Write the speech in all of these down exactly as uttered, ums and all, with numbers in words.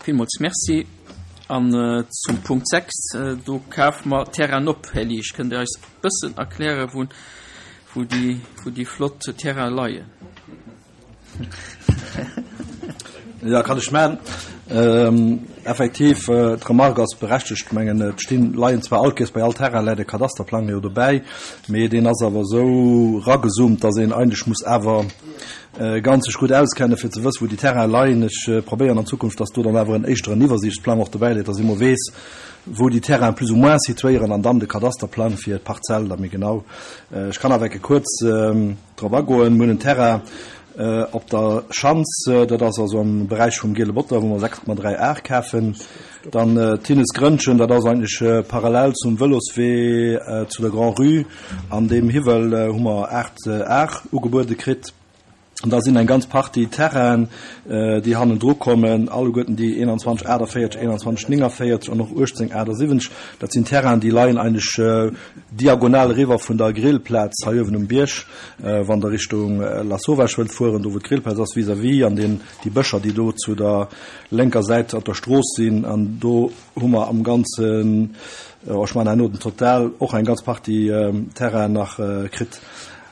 Villmools Merci. An zum Punkt sechs, do kafe mer Terrainen op. Här Liesch, kënnt Dir eis e bëssen erklären, wou, wou déi, wou déi flott Terraine leien? Jo, kann ech maachen. Effektiv, d'Remarque ass berechtegt. Ech mengen, et stinn, leien zwar all Kéiers bei all Terrain läit e Kadasterplang jo dobäi, mee deen ass awer esou eragezoomt, dass een eigentlech muss awer ganz sech gutt auskenne fir ze wëssen, wou déi Terrainen leien. Ech probéieren an Zukunft, dass do dann awer en éischteren Iwwersiichtsplang och dobäi läit, dass ee mol weess, wou déi Terrainen plus ou moins situéieren an dann de Kadasterplang fir d'Parzell da méi genau. Ech kann awer ecke kuerz drop agoen. Mir hunn en Terrain op der Schanz, dat ass also am Beräich vum Giele Botter, wou mer sechs Komma dräi Ar kafen. Dann d'Hinnesgrënnchen, dat ass eigentlech parallel zum Vëloswee zu der Grand-Rue. An deem Hiwwel hu mer aacht Ar ugebuede kritt. An da sinn eng ganz Partie Terrainen, déi hannendru kommen, alleguerten déi einundzwanzeg achtundvierzig, einundzwanzeg neunundvierzig an och achtzehn achtundsiebzig. Dat sinn Terrainen, déi leien eigentlech diagonal eriwwer vun der Grillplaz hei uewen um Bierg, wann Der Richtung Lasauvage wëllt fueren, do wou d'Grillplaz ass, vis-à-vis, an deen, déi Bëscher, déi do zu der lénker Säit op der Strooss sinn. An do hu mer am Ganzen, ech maachen herno den Total, och eng ganz Partie Terrainen nach kritt.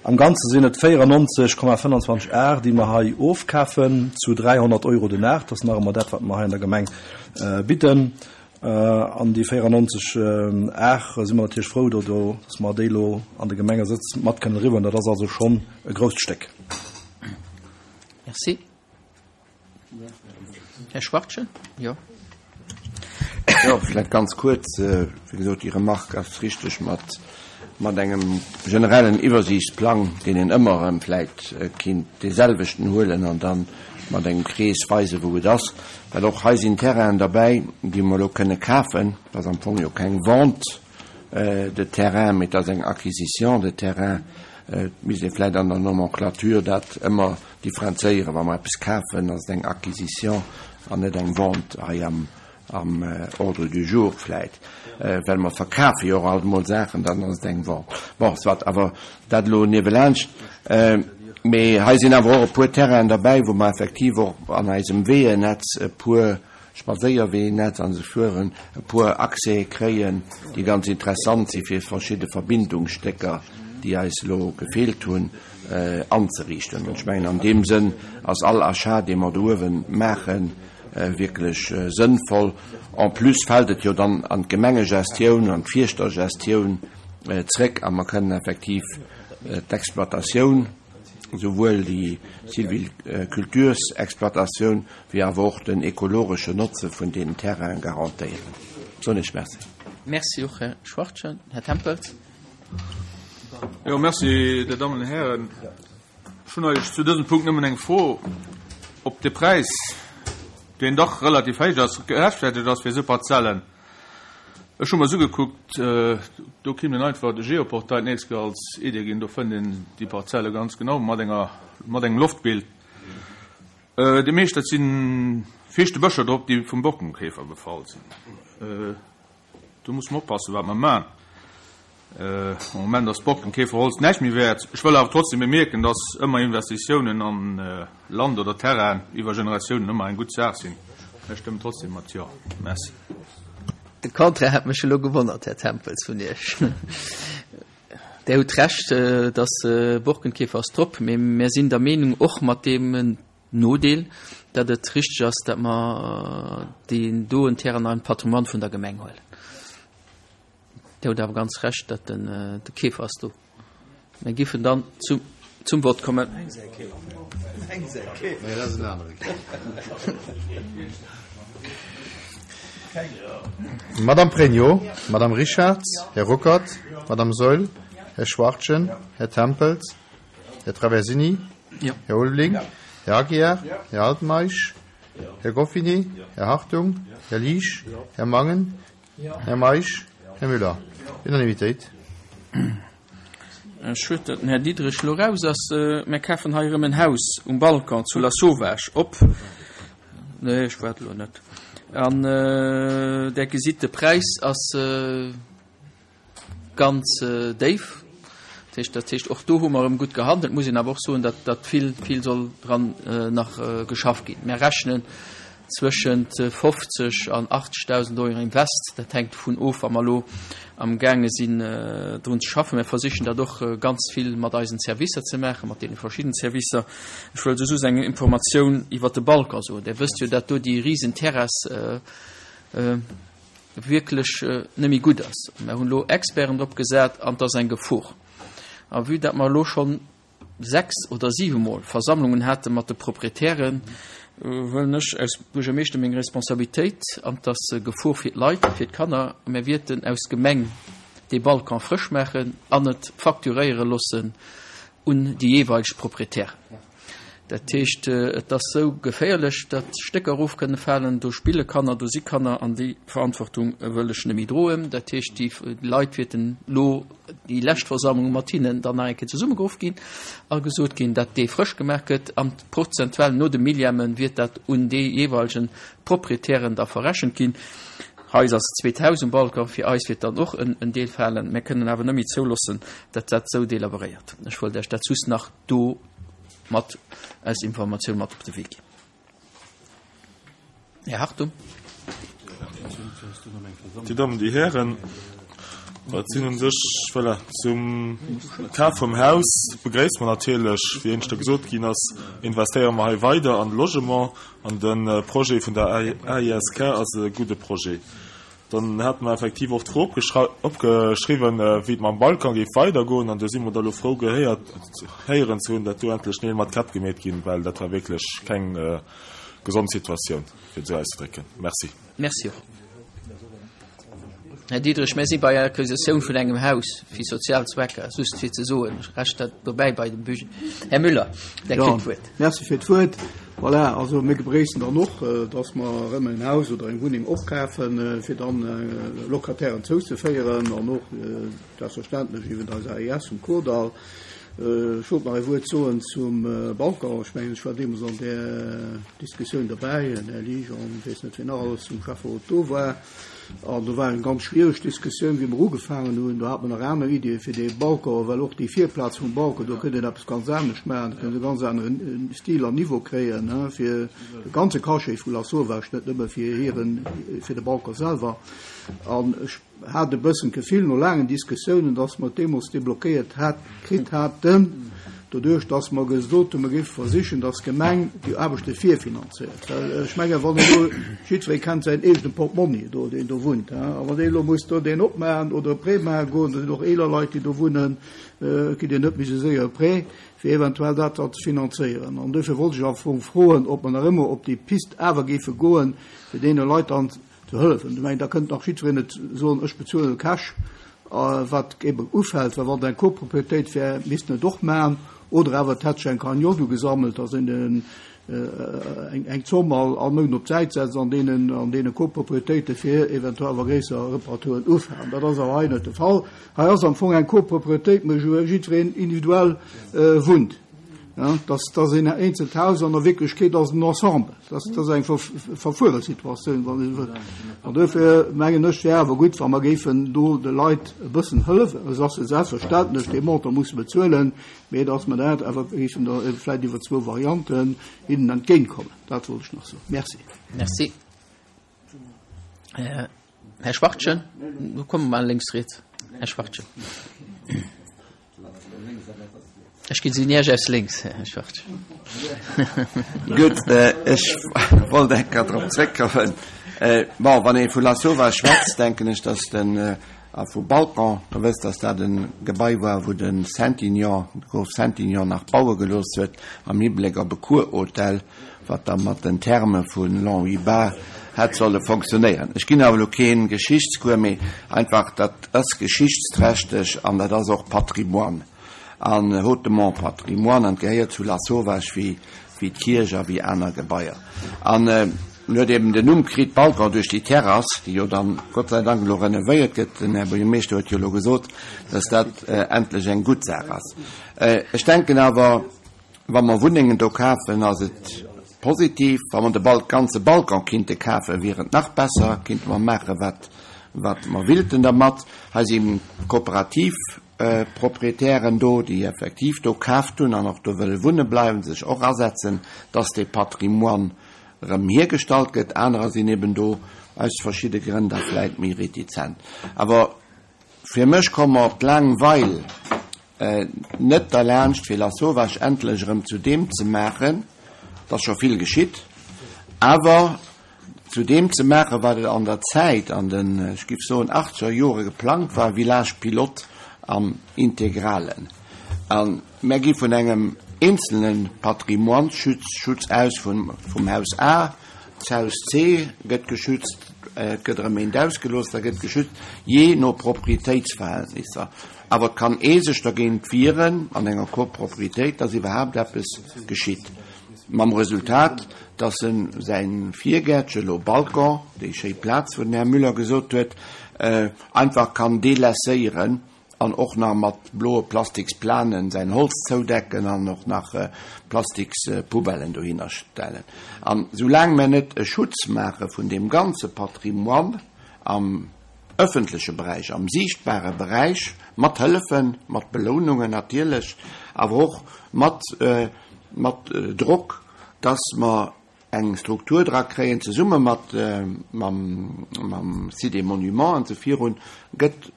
Am Ganze sinn et véierennonzeg Komma fënnanzwanzeg Ar, déi mer hei ofkafen, zu dräihonnert Euro den Ar. Dat ass nach ëmmer dat, wat mer hei an der Gemeng bidden. An déi véierennonzeg Ar si mer natierlech frou, do, do, dass mer déi elo an de Gemengesëtz mat kënnen eriwwer. Dat ass also schonn e grousst Stéck. Merci. Här Schwachtgen? Jo. Jo, vläicht ganz kuerz. Wéi gesot, déi Remarque ass richteg mat, mat engem generellen Iwwersiichtsplang, deen een ëmmer erëm vläicht kinnt deeselwechten huelen an dann mat engem Krees weisen, wou et ass. Well och hei sinn Terrainen derbäi, déi mer elo kënne kafen. Dat ass am Fong jo keng Vente de terrain, mee et ass eng Acquisition de terrain. Et misst ee vläicht an der Nomenclature dat ëmmer differenzéieren. Wa mer eppes kafen, ass et eng Acquisition an net eng Vente hei am, am Ordre du jour vläicht. Well mer verkafe jo och alt emol Saachen, dann ass et eng Vente. Bon, soit, awer dat elo niewelaanscht. Mee hei sinn awer och e puer Terrainen derbäi, wou mer effektiv och an eisem Weeënetz e puer Spadséierweeënetz an esou fueren, e puer Accèse kréien, déi ganz interessant si fir verschidde Verbindungsstécker, déi eis elo gefeelt hunn, anzeriichten. An ech mengen, an deem Sënn ass all Achat, dee mer do uewe maachen, wierklech sënnvoll. En plus fält et jo dann an d'Gemengegestioun, an d'Fierschtergestioun zréck a mer kënnen effektiv d'Exploitatioun, souwuel déi Sylvicultursexploitatioun wéi awer och den ekologesche Notze vun deenen Terrainen garantéieren. Soen ech Merci. Merci och, Här Schwachtgen. Här Tempels. Jo, merci, Dir Dammen an Hären. Ech hunn eigentlech zu dësem Punkt nëmmen eng Fro, ob de Präis, deen dach relativ héich ass, gerechtfertegt ass fir esou Parzellen. Ech hu mer se ugekuckt, do kéint een einfach de Geoportail d'nächst Kéier als Idee ginn, do fënnt een déi Parzelle ganz genau mat enger, mat engem Loftbild. Déi meescht, dat si fiichte Bëscher drop, déi vum Borkenkäfer befall sinn. Do muss mer oppassen, wat mer maachen. Am Moment ass d'Borkenkäferholz näischt méi wäert. Ech wëll awer trotzdem bemierken, dass ëmmer Investitiounen an Land oder Terrain iwwer Generatiounen ëmmer eng gutt Saach sinn. Ech stëmmen trotzdem mat Jo. Merci. De Contraire hätt mech elo gewonnert, Här Tempels, vun Iech. Där hutt Recht, dass Borkenkäfer ass drop, mee mir sinn der Meenung, och mat deem Nodeel, datt et richteg ass, datt mer deen doen Terrain an Patrimoine vun der Gemeng huelen. Dir hutt awer ganz Recht, datt den de Käfer ass do. Mir giffen dann zum, zum Wort kommen. Madame Pregno, Madame Richarz, Här Ruckert, Madame Saeul, Här Schwachtgen, Här Tempels, Här Traversini, Här Ulveling, Här Aguiar, Här Altmeisch, Här Goffinet, Här Hartung, Här Liesch, Här Mangen, Här Meisch, Här Müller. Unanimitéit. Schued, datt den Här Diderich elo raus ass. Mir kafen hei erëm en Haus um Balcon zu Lasauvage op. Nee, ech waart elo net. An Der gesitt, de Präis ass ganz déif. Dat heescht, dat heescht, och do hu mer erëm gutt gehandelt. Muss een awer och soen, datt, datt vill, vill soll dran nach geschafft ginn. Mir rechnen zwëschent fofzeg an achtzegdausend Euro Invest. Dat hänkt dovun of, wa mer elo am gaange sinn, drun ze schaffen. Mir versichen dat och ganz vill mat eisen Servicer ze maachen, mat deene verschidden Servicer. Ech wëll soss eng Informatioun iwwert de Balcon soen. Dir wësst jo, dat do déi risen Terrass wierklech net méi gutt ass. Mir hunn elo Experten drop gesat an et ass eng Gefor. A vue dat mer elo schonn sechs oder siwe Mol Versammlungen hate mat de Proprietären, wëllen ech aus Buergermeeschter meng Responsabilitéit, an et ass Gefor fir d'Leit, fir d'Kanner, mir wierten aus Gemeng dee Balcon frësch maachen an et facturéiere loossen un déi jeeweileg Proprietären. Dat heescht, et ass sou geféierlech, datt Stécker erof kënne falen, do spille Kanner, do si Kanner an déi Verantwortung wëll ech net méi droen. Dat heescht, déi Leit wäerten elo déi lescht Versammlung mat hinnen dann nach eng Kéier zesummegeruff ginn a gesot ginn, datt dee frësch gemaach gëtt an prozentuell no de Millièmen wiert dat un dee jeeweilegen Proprietären da verrechent ginn. Hei ass et zweet Haus um Balcon, fir eis wiert dann och en Deel falen. Mir kënnen awer net méi zouloossen, datt dat sou delaboréiert. Ech wollt Iech dat just nach do mat als Informatioun mat op de Wee ginn. Här Hartung. Dir Dammen, Dir Hären, et sinn un sech, voilà, zum Kaf vum Haus begréisst mer natierlech, wéi éineschter gesot ginn ass, investéiere mer hei weider an de Logement an de Projet vun der A I S K ass e gudde Projet. Dann hate mer effektiv och d'Fro opgeschriwwen, wéi et mam Balcon géif weidergoen, an do si mer da lo frou gehéiert, héieren ze hunn, datt do endlech Neel mat Käpp gemeet ginn, well dat war wierklech keng gesond Situatioun, fir et esou auszedrécken. Merci. Merci och. Här Diderich, mir si bei der Acquisitioun vun engem Haus fir sozial Zwecker, just fir ze soen, recht dat dobäi bei dem Budget. Här Müller, Der kritt d'Wuert. Merci fir d'Wuert. Voilà, also mir begréissen dann och, dass mer erëm en Haus oder eng Wunneng opkafen, fir dann Locatairen zouzeféieren an och selbstverständlech iwwer eis A I S um Kordall. Ech wollt nach e Wuert soen zum Balcon. Ech mengen, ech war deemools an där Diskussioun derbäi, den Här Liesch an ech weess net, wien nach alles zum Schäfferot do war. An do war eng ganz schwiereg Diskussioun, wéi mer ugefaangen hunn. Do hat mer nach aner Iddie fir dee Balcon, well och déi Virplaz vum Balcon, do kënnt een eppes ganz anescht maachen, do kënnt e ganz aneren Stil an Niveau kréien, fir de ganze Cachet vu Lasauvage, net nëmme fir hiren, fir de Balcon selwer. An ech hat e bëssen d'Gefill no laangen Diskussiounen, dass mer et deemools deblockéiert hat, kritt haten, doduerch dass mer gesot hunn, mer géife versichen, dass d'Gemeng déi Aarbechte virfinanzéiert. Well ech mengen, wann elo jiddweree kennt säin eegene Portmonni do, deen do wunnt, a wann dee elo muss do deen opmaachen oder e Prêt maache goen, do sinn och eeler Leit, déi do wunnen, kritt een net méi esou séier e Prêt, fir eventuell dat da ze finanzéieren. An duerfir wollt ech am Fong froen, ob mer nach ëmmer op déi Pist awer géife goen, fir deene Leit dann ze hëllefen. Ech mengen, da kënnt nach jiddwereen net soen, ech bezuelen Cash, wat eben ufält, well wann et eng Copropriétéit wär, misst en et och maachen, oder awer et hätt sech eng Cagnotte ugesammelt, dass een eng Zomm all all Mount op d'Säit setzt an deenen an deene Copropriétéite fir eventuell awer gréisser Reparaturen ufalen. Dat ass awer hei net de Fall. Hei ass am Fong eng Copropriétéit, mä wou jiddwereen individuell wunnt. Dat ass een eenzelt Haus, an der Wierklechkeet ass et en Ensemble. Dat ass eng verfuere Situatioun, wann een esou wëll. An duerfir mengen ech, wär awer gutt, wa mer géifen do de Leit e bëssen hëllefen, esou dass se selbstverständlech dee Montant musse bezuelen, mee dass mer dat awer géifen da vläicht iwwer zwou Varianten hinnen entgéintkommen. Dat wollt ech nach soen. Merci. Merci. Här Schwachtgen, do komme mer lénks, riets. Här Schwachtgen. Ech ginn si Iech aus lénks, Här Schwachtgen. Gutt, ech wollt eng Kéier drop zréckkommen. Bon, wann ee vu Lasauvage schwätzt, denken ech, dass den, a vu Balcon, Der wësst, dass dat e Gebai war, wou de Saintignon, de Grof Saintignon nach baue gelooss huet am Hibléck op e Kurhotel, wat da mat den Therme vu Longwy-Bas hätt solle fonctionnéieren. Ech ginn awer elo kee Geschichtscours, mee einfach, dat ass geschichtsträchteg an dat ass och Patrimoine an hautement Patrimoine an gehéiert zu Lasauvage wéi wéi d'Kierch a wéi aner Gebaier. An en huet eben den Numm kritt Balcon duerch déi Terrass, déi jo dann Gott sei Dank elo renovéiert gëtt. Den Här Buergermeeschter huet jo elo gesot, dass dat endlech eng gutt Saach ass. Ech denken awer, wa mer Wunnengen do kafen, ass et positiv. Wa mer de ganze Balcon kinnte kafen, wier et nach besser, kinnte mer maache wat wat mer willten dermat. Hei si Kooperativ Proprietären do, déi effektiv do kaaft hunn an och do wëlle wunne bleiwen, sech och asetzen, dass dee Patrimoine erëm hiergestallt gëtt. Anerer sinn eben do aus verschidde Grënn da vläit méi retizent. Awer fir mech komme mer op d'laang Weil net derlaanscht, fir Lasauvage endlech erëm zu deem ze maachen, et ass scho vill geschitt, awer zu deem ze maachen, wat et an der Zäit, an den, ech géif soen, achtzeger Jore geplangt war, Village pilote am Integralen. A mär gi vun engem eenzelne Patrimoine-Schutz aus, vum Haus A. D'Haus C gëtt geschützt, et gëtt erëm eent ausgelooss, da gëtt geschützt, jee no Proprietéitsverhältnisser. Awer et kann ee sech dergéint wieren an enger Koproprietéit, dass iwwerhaapt eppes geschitt. Mam Resultat, dass e säi Virgäertche, elo Balcon, déi schéi Plaz, wou den Här Müller gesot huet, einfach kann delaisséieren an och nach mat bloe Plastiksplanen säin Holz zoudecken an och nach Plastikspoubellen dohinner stellen. An soulaang mer net e Schutz maache vun deem ganze Patrimoine am ëffentleche Beräich, am siichtbare Beräich, mat Hëllefen, mat Belounungen natierlech, awer och mat mat Drock, dass mer eng Struktur dra kréien, zesumme mat mam mam Site des Monuments an esou virun, gëtt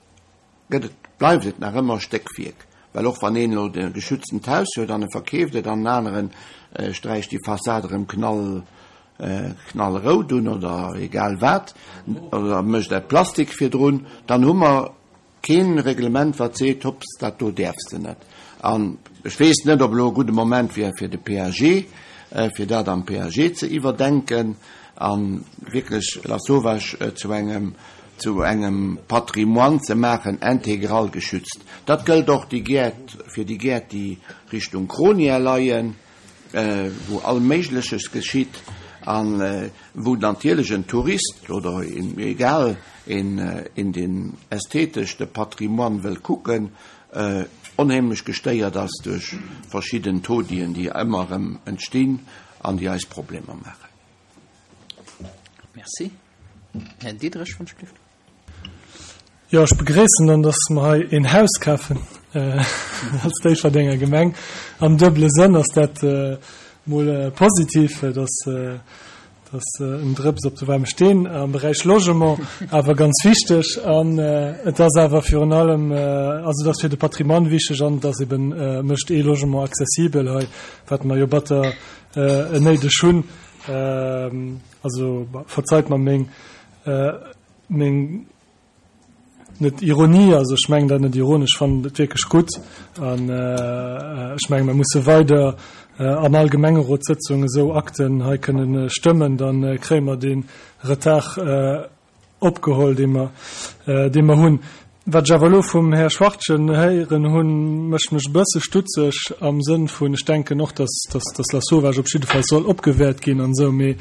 gëtt et, bleift et nach ëmmer Stéckwierk. Well och wann een elo e geschütztent Haus huet an e verkeeft et an en aneren sträicht déi Fassad erëm knall, knallrout un oder egal wat, oder mécht e Plastik virdrun, dann hu mer kee Reglement wat seet, hopps, dat do däerfs de net. An ech weess net, ob elo e gudde Moment wier fir de P A G, fir dat am P A G ze iwwerdenken a wierklech Lasauvage zu engem, zu engem Patrimoine ze maachen, integral geschützt. Dat gëllt och déi Gäert, fir déi Gäert, déi Richtung Kronia leien, wou all Méigleches geschitt a wou natierlech en Tourist oder een, egal, een, een deen ästhetesch de Patrimoine wëll kucken, onheemlech gestéiert ass duerch verschidden Taudien, déi ëmmer erëm entstinn an déi eis Problemer maachen. Merci. Här Diderich, wann ech gelift. Jo, ech begréissen dann, dass mer hei een Haus kafen als Déifferdenger Gemeng. Am duebele Sënn ass dat mol positiv, dass dass en Drëps op de waarme Steen am Beräich Logement awer ganz wichteg. An et ass awer virun allem, also et ass fir de Patrimoine wichteg an et ass eben, mécht ee Logement accessibel hei, wat mer jo batter néideg hunn. Also verzeit mer meng, meng net Ironie, also ech mengen dat net ironesch, ech fannen et wierklech gutt an ech menge mer musse weider an all Gemengerotssëtzung esou Akten hei kënnen stëmmen, da kréie mer dee Retard opgeholl, dee mer, dee mer hunn. Wat ech awer elo vum Här Schwachtgen héieren hunn, mécht mech e bësse stutzeg am Sënn vun, ech denken och, dass, dass, dass Lasauvage op jidde Fall soll opgewäert ginn an esou, mee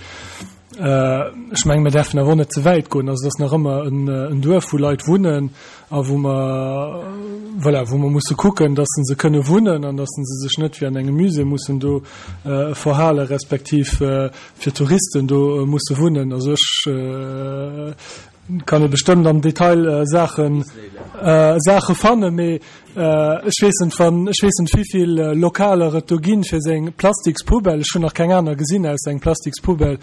ech mengen, mir däerfen awer och net ze wäit goen. Also et ass nach ëmmer en Duerf, wou Leit wunnen a wou mer, voilà, wou mer musse kucken, dass se kënne wunnen an dass se sech net wéi an engem Musée mussen do verhale respektiv fir Touristen do musse wunnen. Also ech kann ee bestëmmt am Detail Saachen, Saache fannen, mee ech weess net, wann, ech weess net, wéivill Lokaler et do ginn fir seng Plastikspoubelle. Ech hunn nach keng aner gesinn ausser eng Plastikspoubelle.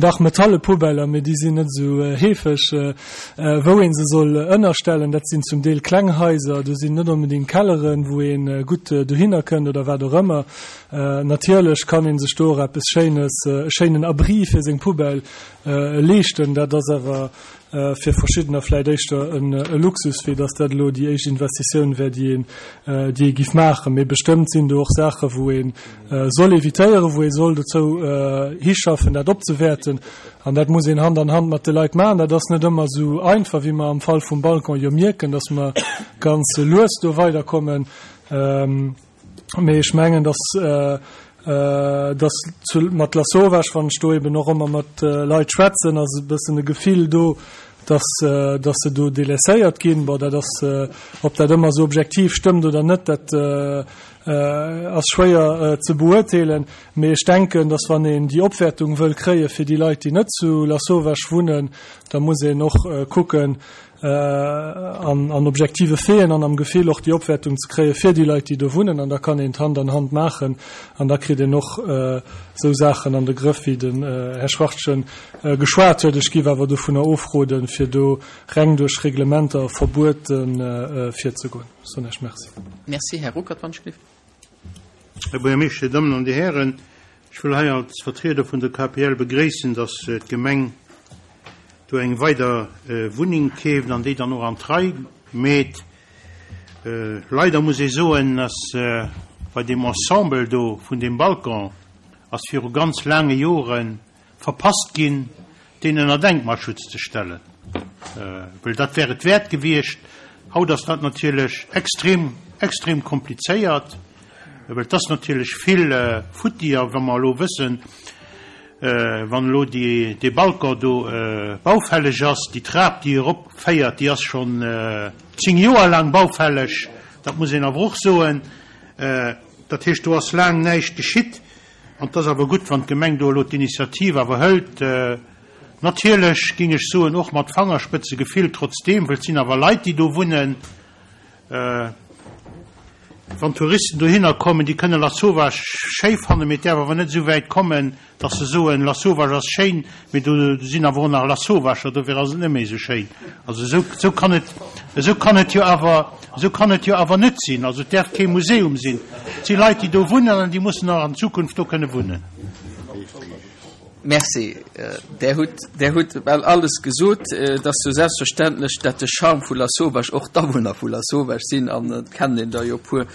Dach, metalle Poubellen, mee déi sinn net esou heefeg. Wou ee se soll ënnerstellen, dat sinn zum Deel kleng Haiser, do sinn net onbedéngt Kelleren, wou ee gutt dohinner kënnt oder wat och ëmmer. Natierlech kann ee sech do och eppes Schéines, e schéinen Abri fir seng Poubelle leeschten. Dat ass awer fir verschiddener vläit éischter e Luxus, wéi datt dat elo déi éischt Investitioun wär, déi een, déi ee giff maachen. Mee bestëmmt sinn do och Saache wou ee soll evitéieren, wou ee soll dozou hischaffen, dat opzewäerten. An dat muss een Hand an Hand mat de Leit maachen. Dat ass net ëmmer esou einfach, wéi mer am Fall vum Balcon jo mierken, datt mer ganz lues do weiderkommen. Mee ech mengen, datt dass zu mat Lasauvage, wann ech do eben och ëmmer mat Leit schwätzen, ass e bëssen e Gefill do, dass dass se do délaisséiert ginn. Bon, dat ass, ob dat ëmmer esou objektiv stëmmt oder net, dat ass schwéier ze beurteelen. Mee ech denken, dass wann een déi Opwäertung wëll kréie fir déi Leit, déi net zu Lasauvage wunnen, da muss een och kucken, an an objektive Faiten an am Gefill och déi Opwäertung ze kréie fir déi Leit, déi do wunnen. An da kann een d'Hand an Hand maachen an da kritt een och esou Saachen an de Grëff, wéi den Här Schwachtgen geschwat huet. Ech géif awer dovunner ofroden, fir do reng duerch Reglementer a Verbuete virzegoen. Ech soen Iech Merci. Merci. Här Ruckert, wann ech gelift. Här Buergermeeschter, Dir Dammen an Dir Hären, ech wëll hei als Vertrieder vun der K P L begréissen, dass d'Gemeng do eng weider Wunneng keeft an déi dann och an d'Rei meet. Leider muss ee soen, dass bei deem Ensemble do vun deem Balcon ass viru ganz laange Jore verpasst ginn, deen ënner Denkmalschutz ze stellen, well dat wär et wäert gewiescht. Haut ass dat natierlech extrem, extrem komplizéiert, well et ass natierlech vill futti. A wa mer elo wëssen, wann elo dee Balcon do baufälleg ass, déi Trap, déi eropféiert, déi ass schonn zéng Joer laang baufälleg, dat muss een awer och soen. Dat heescht, do ass laang näischt geschitt. An et ass awer gutt, wann d'Gemeng do elo d'Initiativ awer hëlt. Natierlech géing ech soen, och mat Fangerspëtzegefill trotzdeem, well et sinn awer Leit, déi do wunnen. Wann Touristen dohinner kommen, déi kënne Lasauvage schéi fannen, mee et däerf awer net esou wäit kommen, dass se soen, Lasauvage ass schéin, mee do sinn awer och nach Lasauvager, dofir ass et net méi esou schéin. Also esou, esou kann et, esou kann et jo awer, esou kann et jo awer net sinn. Also et däerf kee Museum sinn. Et si Leit, déi do wunnen an déi mussen och an Zukunft do kënne wunnen. Merci. Där hutt, Där hutt bal alles gesot. Et ass jo selbstverständlech, dat de Charme vu Lasauvage och d'Awunner vu Lasauvage sinn, an et kennen een der jo e puer.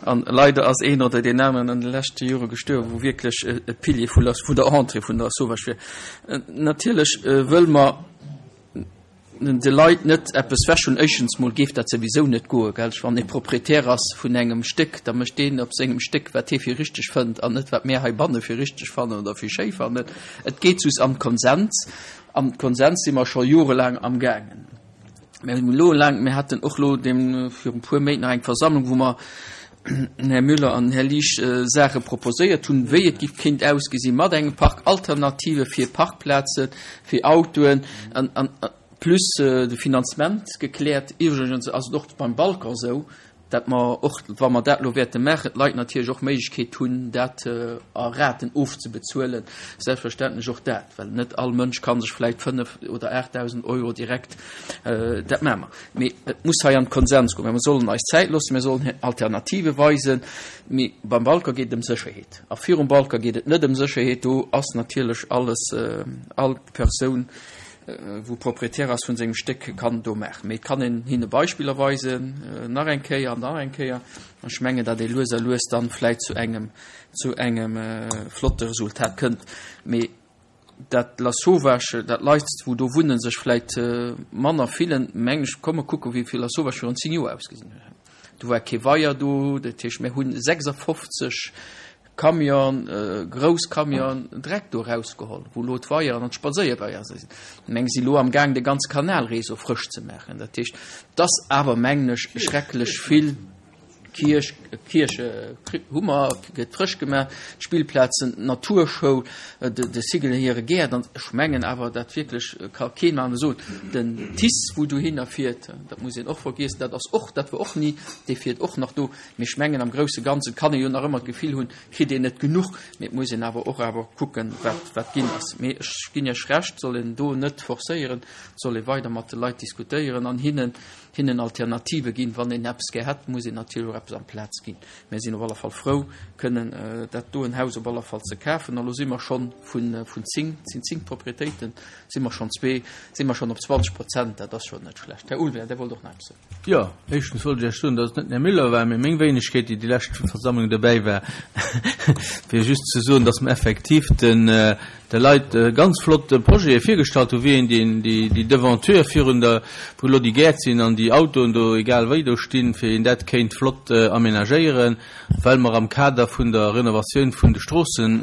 An leider ass een oder deen aneren an de leschte Jore gestuerwen, wou wierklech e Pilier vu Las, vun der Entrée vun der Lasauvage wier. Natierlech wëlle mer de Leit net eppes wechhuelen. Éischtens mol géif dat souwisou net goen, gell? Wann ee Proprietär ass vun engem Stéck, da mécht deen op sengem Stéck, wat hie fir richteg fënnt an net, wat mär heibanne fir richteg fannen oder fir schéi fannen. Et geet just am Konsens. Am Konsens si mer scho jorelaang amgaangen. Mir hunn elo laang, mir haten och elo deem viru puer Méint nach eng Versammlung, wou mer den Här Müller an den Här Liesch Saache proposéiert hunn, wéi et giff kéint ausgesi mat engem Park, Alternative fir Parkplazen, fir Autoen an, an plus de Finanzement gekläert. Iwwregens ass et och beim Balcon esou, dat mer och, wa mer dat elo wäerte maachen, d'Leit natierlech och Méiglechkeet hunn, dat a Raten ofzebezuelen. Selbstverständlech och dat, well net all Mënsch ka sech vläicht fënnef oder aachtdausend Euro direkt, dat maache mer. Mee et muss hei an de Konsens goen. Mä mir sollen eis Zäit loossen, mir sollen Alternative weisen. Mee beim Balcon geet et ëm Sécherheet. A virum Balcon geet et net ëm Sécherheet. Do ass natierlech alles, all Persoun, wou Proprietär ass vun sengem Stéck, kann do maachen. Mee et kann een hinne Beispiller weisen, nach eng Kéier an nach eng Kéier. An ech mengen, datt ee lues a lues dann vläit zu engem, zu engem flotte Resultat kënnt. Mee dat Lasauvage, dat Leit, wou do wunnen, sech vläit manner fillen, mengen ech, komm mer kucken, wéi Lasauvage virun zéng Joer ausgesinn huet. Do war kee Weier do, dat heescht, mir hunn sechsafofzeg Camion, grouss Camion Dreck do erausgeholl, wou elo d'Weieren an d'Spadséierweier sinn. Meng si lo am Gaang de ganze Kanalréseau frësch ze maachen. Dat heescht, et ass awer, mengen ech, schrecklech vill Kierch, Kierch hu mer, gëtt frësch gemaach, d'Spillplazen, d'Naturschoul, de, de Sigel hire Gäert. An ech mengen awer, dat wierklech ka keen aner soen. Den T I C E, wou dohinner fiert, dat muss een och vergiessen, dat ass och, dat war och ni, dee fiert och nach do. Mee ech mengen, am grousse Ganze kann ee jo nach ëmmer d'Gefill hunn, kritt een net genuch, mee et muss een awer och awer kucken, wat, wat ginn ass. Mee ech ginn Iech Recht, soll een do net forcéieren, soll ee weider mat de Leit diskutéieren an hinnen, hinnen Alternative ginn. Wann een eppes gär hätt, muss een natierlech och eppes amplaz ginn. Mir sinn op alle Fall frou, kënnen dat doen Haus op alle Fall ze kafen. A lo si mer schonn vun, vun zéng, sinn zéng Proprietéiten, si mer schonn zwee, si mer schonn op zwanzeg Prozent, dat ass schonn net schlecht. Här Ulveling, Dir wollt och nach eppes soen. Jo, éischtens wollt ech Iech soen, datt et net den Här Müller war, mee meng Wéinegkeet, déi déi lescht Versammlung dobäi war, fir just ze soen, datt mer effektiv den, de Leit ganz flott Projete virgestallt hunn, wéi een déi, déi, déi Devanture virun der, wou elo déi Gäert sinn an déi Autoen do egal wéi do stinn, fir een dat kéint flott aménagéieren, well mer am Kader vun der Renovatioun vun de Stroossen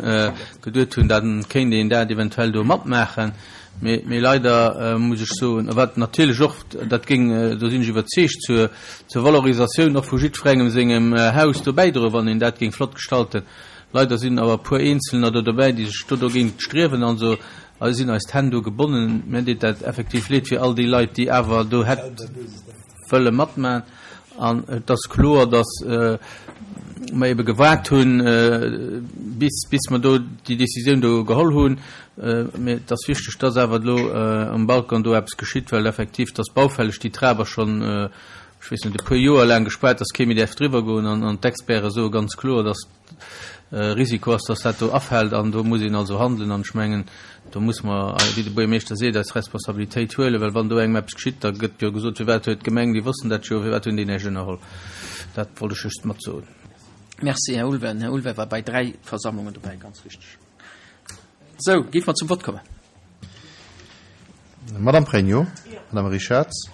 geduet hunn, da kéint een dat eventuell do matmaachen. Mee, mee leider muss ech soen, wat natierlech och, dat géing, do sinn ech iwwerzeegt, zur, zur Valorisatioun och vu jiddwerengem sengem Haus do bäidroen, wann een dat géing flott gestalten. Leider sinn awer e puer Eenzelner do dobäi, déi sech do dogéint striewen. Also sinn eis d'Hänn do gebonnen. Mir deet dat effektiv leed fir all déi Leit, déi awer do hätt wëlle matmachen. An et ass kloer, datt mer ebe gewaart hunn, bis, bis mer do déi Décisioun do geholl hunn. Mee et ass wichteg, datt awer elo um Balcon do eppes geschitt, well effektiv, et ass baufälleg, déi Trap ass schonn, ech weess net, e puer Joer laang gespaart, datt kee méi däerf driwwer goen. An, an d'Experte soe ganz kloer, datt Risiko ass, datt dat do afält. An do muss een also handelen. An ech mengen, do muss mer, wéi de Buergermeeschter seet, eis Responsabilitéit huelen, well wann do engem eppes geschitt, da gëtt jo gesot, firwat huet d'Gemeng, déi wossten dat jo, firwat hunn déi näischt ënnerholl. Dat wollt ech just mat soen. Merci, Här Ulven. Här Ulven war bei dräi Versammlungen dobäi, ganz richteg. Sou, géife mer zum Vott kommen. Madame Pregno, Madame Richarz,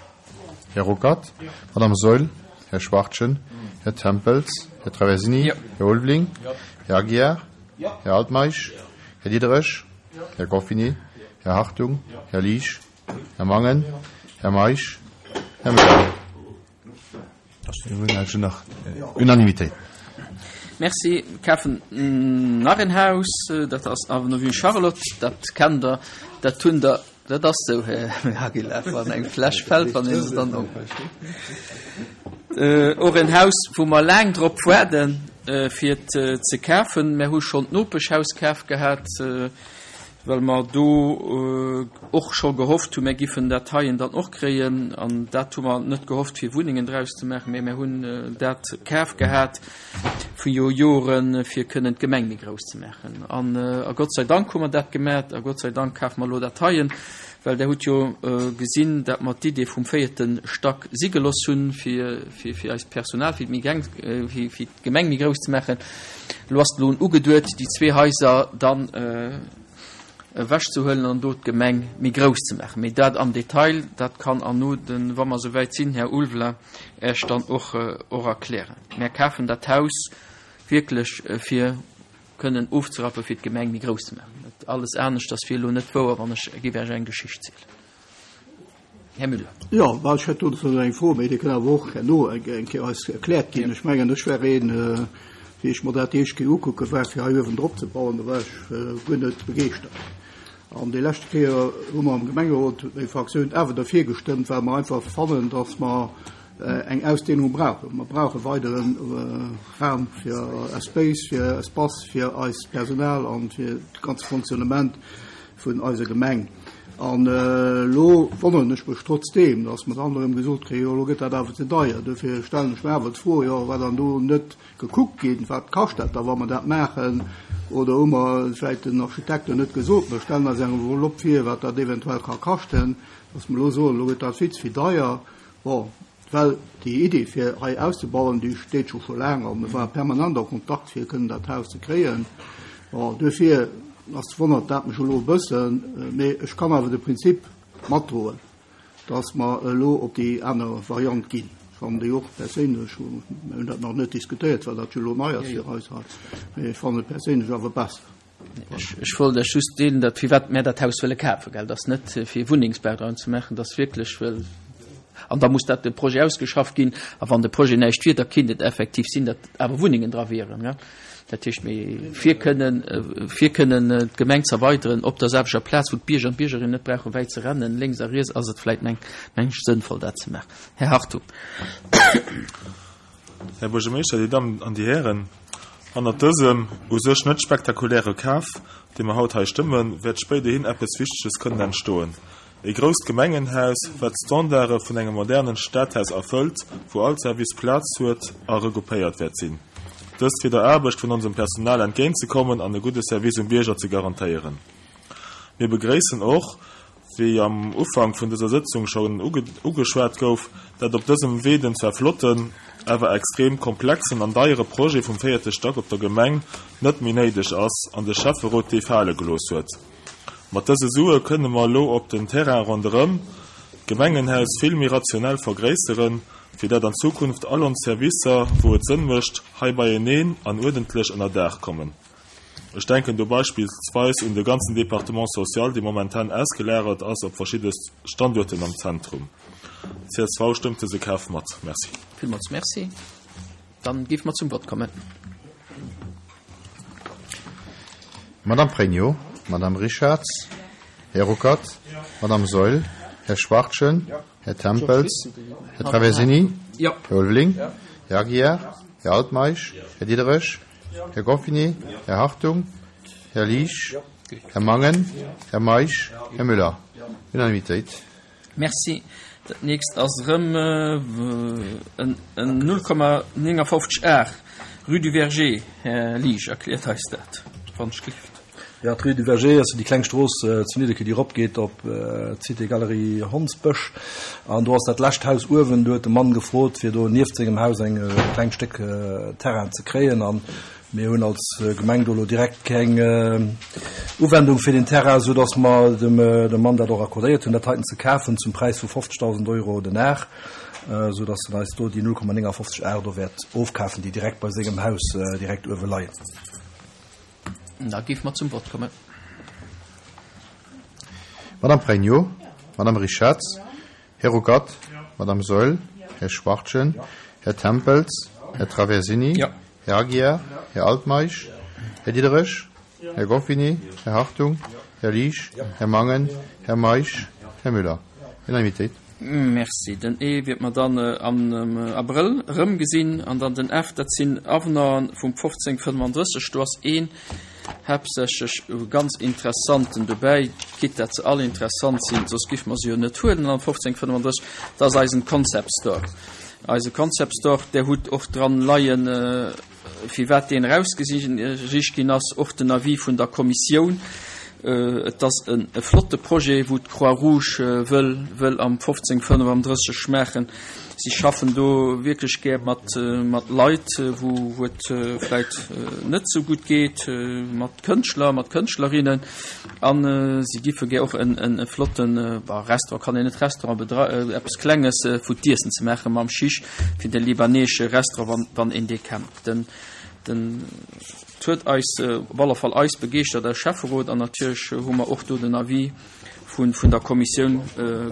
Här Ruckert, Madame Saeul, Här Schwachtgen, Här Tempels, Här Traversini, Här Ulveling, Här Aguiar, Här Altmeisch, Här Diderich, Här Goffinet, Här Hartung, Här Liesch, Här Mangen, Här Meisch, Här Müller. Unanimitéit. Merci. Kafen nach en Haus, dat ass Avenue Charlotte, dat kennt Der, dat hunn der, dat ass esou, Här Aguilar, wann eng Fläsch fält, wann een se dann opmécht. Och en Haus, wou mer laang drop waarden, fir et ze kafen. Mer hu schonn d'Nopeschhaus kaf gehat, well mer do och scho gehofft hunn, mer giffen dat heien dann och kréien. An dat hu mer net gehofft, fir Wunnengen draus ze maachen, mä mer hunn dat kaf gehat viru Joren, fir kënnen d'Gemeng méi grouss ze maachen. An a Gott sei Dank hu mer dat gemat a Gott sei Dank kafe mer elo dat heien, well Der hutt jo gesinn, dat mer d'Idee vum véierte Stack si geloss hunn, fir fir eist Personal, fir fir d'Gemeng méi grouss ze maachen. Elo ass et elo ugeduet, déi zwee Haiser dann ewechzehuelen an do d'Gemeng méi grouss ze maachen. Mee dat am Detail, dat kann erno den, wa mer esouwäit sinn, Här Ulveling Iech dann och och erklären. Mär kafen dat Haus wierklech fir kënnen ofzerappen, fir d'Gemeng méi grouss ze maachen. Alles aneschters wier elo net wouer, wann ech géif Iech eng Geschicht zielen. Här Müller. Jo, well ech hätt dozou eng Fro, mee déi kënn awer och herno eng Kéier eis erkläert ginn. Ech mengen, ech war een, wéi ech mer dat déi éischt Kéier ukucke war, fir hei uewen drop ze bauen, do war ech guer net begeeschtert. An déi leschte Kéier hu mer am Gemengerot, huet meng Fraktioun awer derfir gestëmmt, well mer einfach fannen, dass mer eng Ausdehnung brauchen. Mer brauche weidere Raum fir Espace, fir Espace fir eist Personal an fir de ganze Fonctionnement vun eiser Gemeng. An elo wonneren ech mech trotzdeem, dass mer dann erëm gesot kréien, jo elo gëtt dat awer ze deier. Dofir stellen ech mer awer d'Fro, jo war dann do net gekuckt ginn, wat kascht dat da, wa mer dat maachen? Oder hu mer vläicht den Architekten net gesot, mer stellen eis eng Enveloppe vir, wat dat eventuell ka kaschten, dass mer elo soen, elo gëtt dat vill ze vill deier. Bon, well déi Idee fir hei auszebauen, déi steet scho scho laang a mir ware permanent a Kontakt fir kënnen dat Haus ze kréien. Bon, duerfir ass wonnert dat mech elo e bëssen, mee ech kann awer de Prinzip matdroen, dass mer elo op déi aner Variant ginn. Ech fannen déi och perséinlech, mir hunn dat nach net diskutéiert, well dat jo elo nei ass fir eis hei, mee ech fannen et perséinlech awer besser. Ech wollt Iech just deelen, datt firwat mär dat Haus wëlle kafen, gell, dat ass net fir Wunnengsbau dran ze maachen, dat ass wierklech wëll, an da muss dat de Projet ausgeschafft ginn, a wann de Projet näischt wier, da kinnt et effektiv sinn, datt awer Wunnengen dra wieren, gell. Dat heescht, mee fir kënnen, fir kënnen d'Gemeng ze erweideren op der selwechter Plaz, wou d'Bierger an d'Biergerinnen net brauchen wäit ze rennen, lénks a riets, ass et vläicht meng ech sënnvoll dat ze maachen. Här Hartung. Här Buergermeeschter, Dir Dammen an Dir Hären, hannert dësem u sech net spektakuläre Kaf, dee mer haut hei stëmmen, wäert spéiderhin eppes Wichteges kënnen entstoen. E grousst Gemengenhaus, wat d'Standarde vun engem modernen Stadhaus erfëllt, wou all Service Plaz huet a regroupéiert wäert sinn. Dëst fir der Aarbecht vun onsem Personal entgéintzekommen an e gudde Service um Bierger ze garantéieren. Mir begréissen och, wéi am Ufank vun dëser Sëtzung schonn ugeschwat gouf, dat op dësem Wee den zwar flotten, awer extrem komplexen an deiere Projet vum véierte Stack op der Gemeng net méi néideg ass an de Schäfferot dee fale gelooss huet. Mat dëse Sue kënne mer elo op den Terrain ronderëm d'Gemengenhaus vill méi rationell vergréisseren, fir dat an Zukunft all ons Servicer, wou et Sënn mécht, hei beieneen an uerdentlech ënner Daach kommen. Ech denken do beispillsweis un de ganzen Département social, dee momentan ausgelagert ass op verschidde Standuerten am Zentrum. Csv stëmmt dëse Kaf mat. Merci. Villmools Merci. Dann géife mer zum Vott kommen. Madame Pregno, Madame Richarz, Här Ruckert, Madame Saeul, Här Schwachtgen, Här Tempels, Här Traversini, Här Ulveling, Här Aguiar, Här Altmeisch, Här Diderich, Här Goffinet, Här Hartung, Här Liesch, Här Mangen, Här Meisch, Här Müller. Unanimitéit. Merci. Dat nächst ass erëm en null Komma néngafofzeg Ar, Rue du Verger. Här Liesch, erkläert eis dat, wann ech gelift. Jo, d'Rue du Verger ass jo déi kleng Strooss zu Nidderkuer, déi eropgeet op d'Cité Galerie Hondsbësch. An do ass dat lescht Haus uewen. Do huet de Mann gefrot, fir do nieft sengem Haus eng klengt Stéck Terrain ze kréien. An mir hunn als Gemeng do elo direkt keng Uwendung fir deen Terrain, soudass mer dem Mann dat och accordéiert hunn, dat heiten ze kafen zum Präis vu fofzegdausend Euro den Ar, soudass en eis do déi null Komma néngafofzeg Ar do wäert ofkafen, déi direkt bei sengem Haus direkt uewe leien. Da géife mer zum Vott kommen. Madame Pregno, Madame Richarz, Här Ruckert, Madame Saeul, Här Schwachtgen, Här Tempels, Här Traversini, Här Aguiar, Här Altmeisch, Här Diderich, Här Goffinet, Här Hartung, Här Liesch, Här Mangen, Här Meisch, Här Müller. Unanimitéit. Merci. Den E wäert mer dann am Abrëll erëmgesinn. An dann den F, dat sinn Avenanten vum fofzéng fënnfandrësseg. Do ass een haaptsächlech e ganz interessanten dobäi, quitte dat se all interessant sinn, soss géife mer se jo net huelen am fofzéng fënnfandrësseg. Dat ass eisen Concept Store. Eise Concept Store, där hutt och dran leien, firwat deen erausgesicht ginn ass, och den Avis vun der Kommissioun. Et ass e flotte Projet, wou d'Croix-Rouge wëll wëll am fofzéng fënnfandrësseg maachen. Si schaffen do wierklech gär mat mat Leit, wou wou et vläit net esou gutt geet, mat Kënschtler, mat Kënschtlerinnen. A si giffe gär och en en e flotten, bon, Restaurant kann een net Restaurant bedrei, eppes Klenges, wou d'Iessen ze maachen mam Chiche, fir de libaneesche Restaurant, wann wann een dee kennt. Den den Et huet eis, op alle Fall eis begeeschtert als Schäfferot an natierlech hu mer och do den Avis vun vun der Kommissioun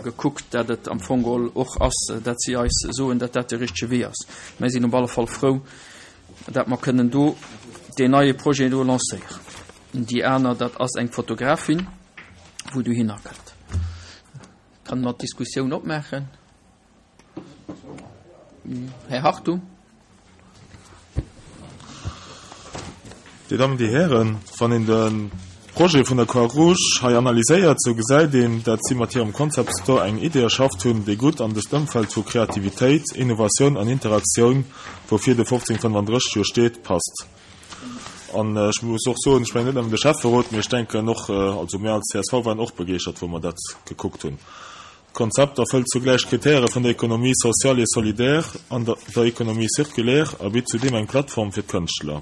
gekuckt, dat et am Fong geholl och ass, dat si eis soen, dat dat de richtege Wee ass. Mer sinn op alle Fall frou, dat mer kënnen do deen neie Projet do lancéieren. Déi aner, dat ass eng Fotografin, wou dohinner kënnt. Kann mer d'Diskussioun opmaachen? Här Hartung. Dir Dammen, Dir Hären, wann een de Projet vun der Croix-Rouge hei analyséiert, sou gesäit een, dat si mat hirem Concept Store eng Idee erschafft hunn, déi gutt an dëst Ëmfeld vu Kreativitéit, Innovatioun an Interaktioun, woufir de fofzéng fënnfandrësseg jo steet, passt. An ech muss och soen, ech mengen net nëmmen de Schäfferot, mee ech denken och, also mir als csv waren och begeeschtert, wou mer dat gekuckt hunn. D'Konzept erfëllt zugläich d'Kritäre vun der Économie sociale et solidaire an der Économie circulaire a bitt zudeem eng Plattform fir d'Kënschtler.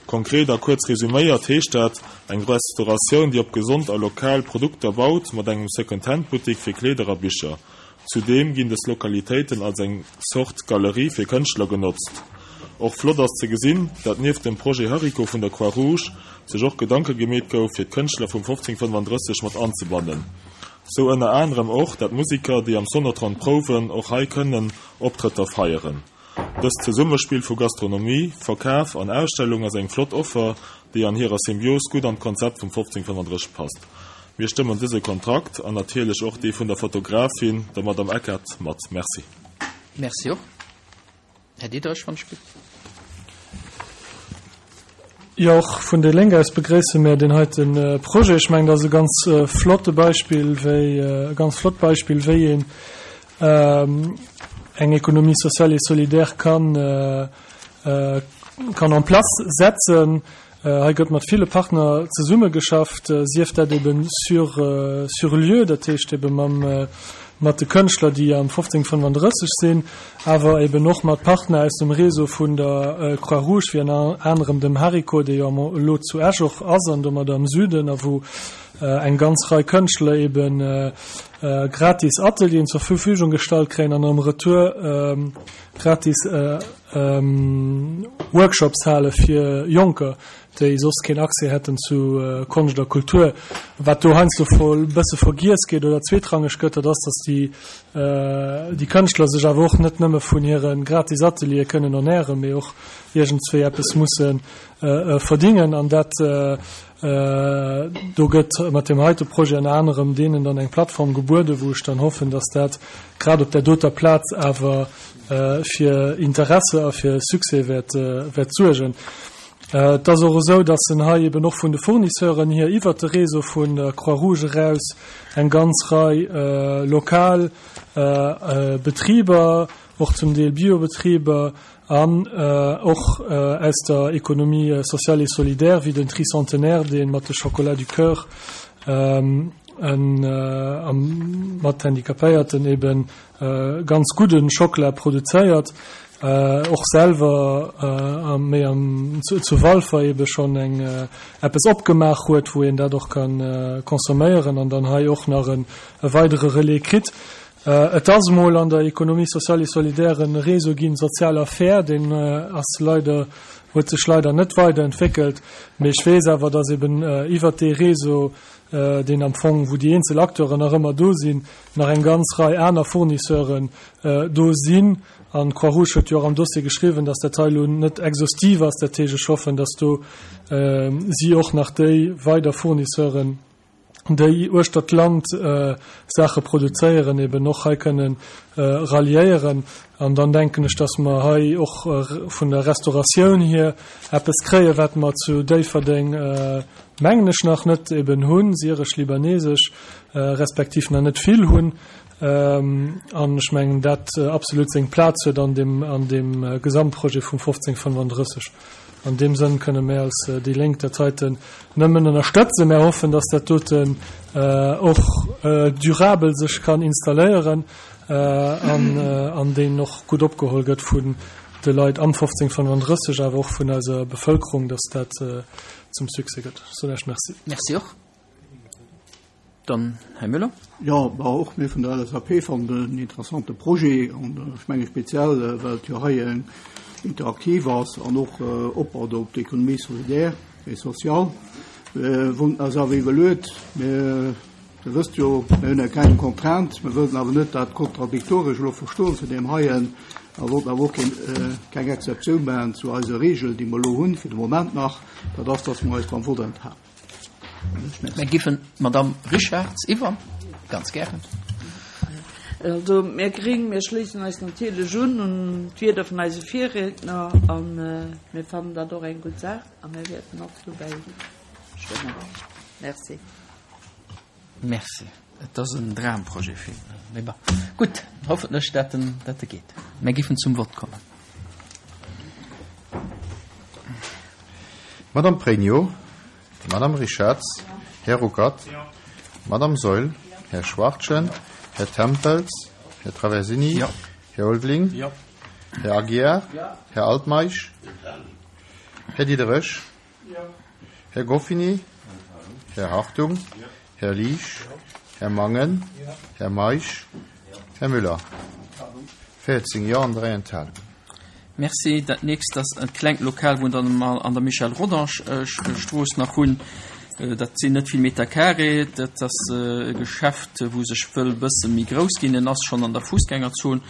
Konkret a kuerz resuméiert heescht dat, eng Restauratioun, déi op gesond a lokal Produkter baut, mat engem Second-Hand-Buttik fir Kleeder a Bicher. Zudeem ginn dës Lokalitéiten als eng Zort Galerie fir Kënschtler genotzt. Och flott ass ze gesinn, dat nieft dem Projet Hariko vun der Croix-Rouge sech och Gedanke gemeet gouf, fir d'Kënschtler vum fofzéng fënnfandrësseg mat anzebannen. Sou ënner anerem och, dat Musiker, déi am Sonotron prouwen, och hei kënnen Optrëtter feieren. Dëst Zesummespill vu Gastronomie, Verkaf an Ausstellung ass eng flott Offer, déi an hirer Symbios gutt an d'Konzept vum fofzéng fënnfandrësseg passt. Mir stëmmen dëse Kontrakt an natierlech och dee vun der Fotografin, der Madame Eckert, mat. Merci. Merci och. Här Diderich, wann ech bitt. Jo, och vun déi Lénk aus begréisse mir deen heite Projet. Ech mengen, dat ass e ganz flotte Beispill, wéi, e ganz flott Beispill, wéi een eng Économie sociale et solidaire kann, kann en place setzen. Hei gëtt mat ville Partner zesummegeschafft, sief dat eben sur, sur lieu, dat heescht ebe mam, mat de Kënschtler, déi am fofzéng fënnfandrësseg sinn, awer eben och mat Partner aus dem Réseau vun der Croix-Rouge, wéi ënner anerem dem Hariko, dee jo elo zu Esch och ass an domadder am Süden, a wou eng ganz Rei Kënschtler eben gratis Atelieren zur Verfügung gestallt kréien an am Retour gratis Workshops hale fir Jonker. déi soss keen Accès hätten zu Konscht a Kultur. Wat do heiansdo e bësse vergiess geet oder zweetrangeg gëtt, dat ass, dass déi, déi Kënschtler sech awer och net nëmme vun hire gratis Ateliere kënnen ernären, mee och iergendswéi eppes musse verdingen. An dat, do gëtt mat deem heite Projet ënner anerem deenen dann eng Plattform gebueden, wou ech dann hoffen, dass dat grad op där doter Plaz awer fir Interesse a fir Succès wäert, wäert suergen. Et ass och esou, dass en hei eben och vun de Fournisseuren hier iwwert de Réseau vun der Croix-Rouge eraus eng ganz Rei lokal Betriber, och zum Deel Biobetriber an och aus der Économie sociale et solidaire, wéi den Tricentenaire, dee mat de Chocolats du Cœur mat Handicapéierten eben ganz gudde Schockela produzéiert, och selwer méi am zu Walfer ebe schonn eng eppes opgemaach huet, wou een dat och ka consomméieren an dann hei och nach e weidere Relais kritt. Et ass emol an der Économie sociale et solidaire e Réseau ginn, Sozial a Fair, deen ass leider, huet sech leider net weiderentwéckelt, mee ech weess awer, dass eben iwwert dee Réseau, deen am Fong, wou déi eenzel Acteuren nach ëmmer do sinn, nach eng ganz Rei aner Fournisseuren do sinn. An d'Croix-Rouge huet jo och am Dossier geschriwwen, dass dat hei elo net exhaustiv ass. Dat heescht, ech hoffen, dass do si och nach déi weider Fournisseuren, déi uechter d'Land Saache produzéieren, eben och hei kënnen ralliéieren. An dann denken ech, dass mer hei och vun der Restauratioun hier eppes kréien, wat mer zu Déifferdeng, mengen ech, nach net eben hunn, syresch, libanesesch, respektiv nach net vill hunn. An ech mengen, dat absolut seng Plaz huet an deem, an deem Gesamtprojet vum fofzéng fënnefandrësseg. An deem Sënn kënne mir als déi Lénk dat heiten nëmmen ënnerstëtzen. Mir hoffen, dass dat doten och durabel sech kann installéieren an, an deen och gutt opgeholl gëtt vun de Leit am fofzéng fënnefandrësseg, awer och vun eiser Bevëlkerung, dass dat zum Succès gëtt. Ech soen Iech Merci. Merci och. Dann Här Müller. Jo, bah, och mir vun der L S A P fannen en interessante Projet an ech menge speziell, well et jo hei eng interaktiv ass an och opbaut op d'Économie solidaire et sociale. Mir wonnten eis awer iwwerluet, mir, Dir wësst jo, mir hunn keng Contrainte, mir wëllten awer net dat kontradiktoresch elo verstoen zu deem heien a wollten awer och keen, keng Exceptioun maachen zu eiser Regel, déi mer elo hunn, fir de Moment nach, dat ass, dass mer eis beim Vott enthalen. Mir giffen d'Madame Richartz iwwer, ganz gären. Also mir Gring, mir schléissen eis natierlech un un d'Wierder vun eise Virriedner a mir fannen dat och eng gutt Saach a mir wäerten och dobäi stëmmen. Merci. Merci. Et ass en Dramprojet fir, mee bon. Gutt, hoffentlech dat en, dat e geet. Mir giffen zum Vott kommen. Madame Pregno, Madame Richartz, Här Ruckert, Madame Saeul, Här Schwachtgen, Här Tempels, Här Traversini, Ja. Här Ulveling, Ja. Här Aguiar, Här Altmeisch, Här Diderich, Här Goffini, Här Hartung, Här Liesch, Här Mangen, Här Meisch, Här Müller. véierzéng Jo an dräi Enthalungen. Merci. Dat nächst ass e klengt Lokal, wou dann mal an der Michel Rodange Strooss nach hunn. Dat sinn net vill Meter carré. Dat ass e Geschäft, wou sech wëll bësse méi grouss ginn. En ass schonn an der Fussgängerzon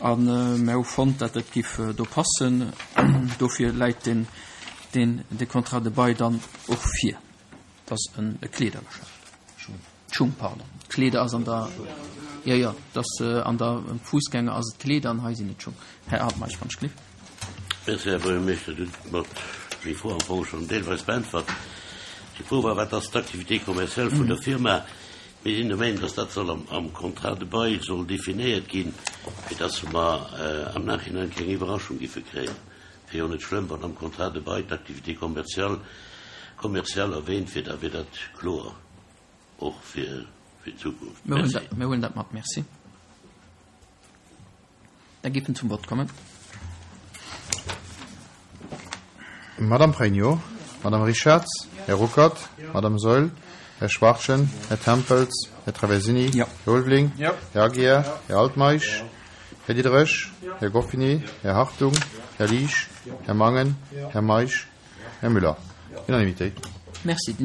an mir hu fonnt, dat et giff do passen. Dofir läit den, den, de Contrat de bail dann och vir. Dat ass en e Kleedergeschäft. Schung, pardon. Kleeder ass an der, jo, jo, dat ass an der Fussgänger ass et Kleeder an hei sinn et Schung. Här Altmeisch, wann ech gleef. Merci, Här Buergermeeschter. Dir hutt mer déi Fro am Fong schonn deelweis beäntwert. Déi Fro war, Wat ass d'Activité commerciale vun der Firma? Mir sinn der Meinung, dass dat soll am, am Contrat de bail soll definéiert ginn, fir dass mer am Nachhinein keng Iwwerraschung giffe kréien. Wär jo net schlëmm, wann am Contrat de bail d'Activité commerciale, commerciale erwähnt wier, da wier dat kloer och fir, fir d'Zukunft. Mir huelen Merci. dat, mir huelen dat mat. Merci. Da giffen zum Wort kommen. Madame Pregno, Madame Richartz, Här Ruckert, Madame Saeul, Här Schwachtgen, Här Tempels, Här Traversini, Ja. Här Ulveling, Ja. Här Aguiar, Här Altmeisch, Här Diderich, Här Goffini, Här Hartung, Här Liesch, Här Mangen, Här Meisch, Här Müller. Unanimitéit. Merci.